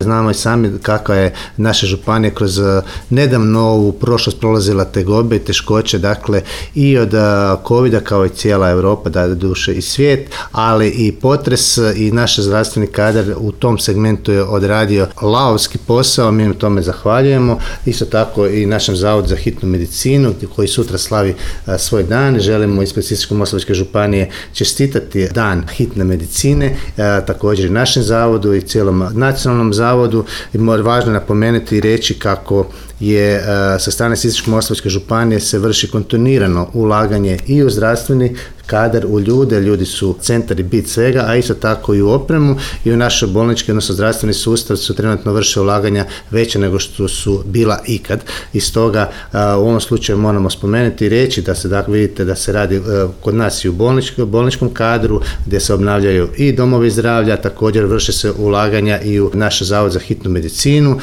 Znamo i sami kakva je naša županija kroz nedavno ovu prošlost prolazila tegobe i teškoće, dakle i od covida kao i cijela Europa, da duše i svijet, ali i potres i naš zdravstveni kadar u tom segmentu je odradio lavovski posao, mi im tome zahvaljujemo. Isto tako i našem Zavodu za hitnu medicinu koji sutra slavi svoj dan. Želimo ispred Sisačko-moslavačke županije čestitati dan hitne medicine, također i našem zavodu i cijelom nacionalnom zavodu. I važno napomenuti i reći kako je sa strane Sisačko-moslavačke županije se vrši kontinuirano ulaganje i u zdravstveni kadar, u ljude, ljudi su centar i bit svega, a isto tako i u opremu i u našoj bolnički, odnosno zdravstveni sustav su trenutno vrše ulaganja veće nego što su bila ikad. I stoga u ovom slučaju moramo spomenuti i reći da se, dakle, vidite da se radi kod nas i u bolničkom kadru, gdje se obnavljaju i domovi zdravlja, također vrše se ulaganja i u naš Zavod za hitnu medicinu.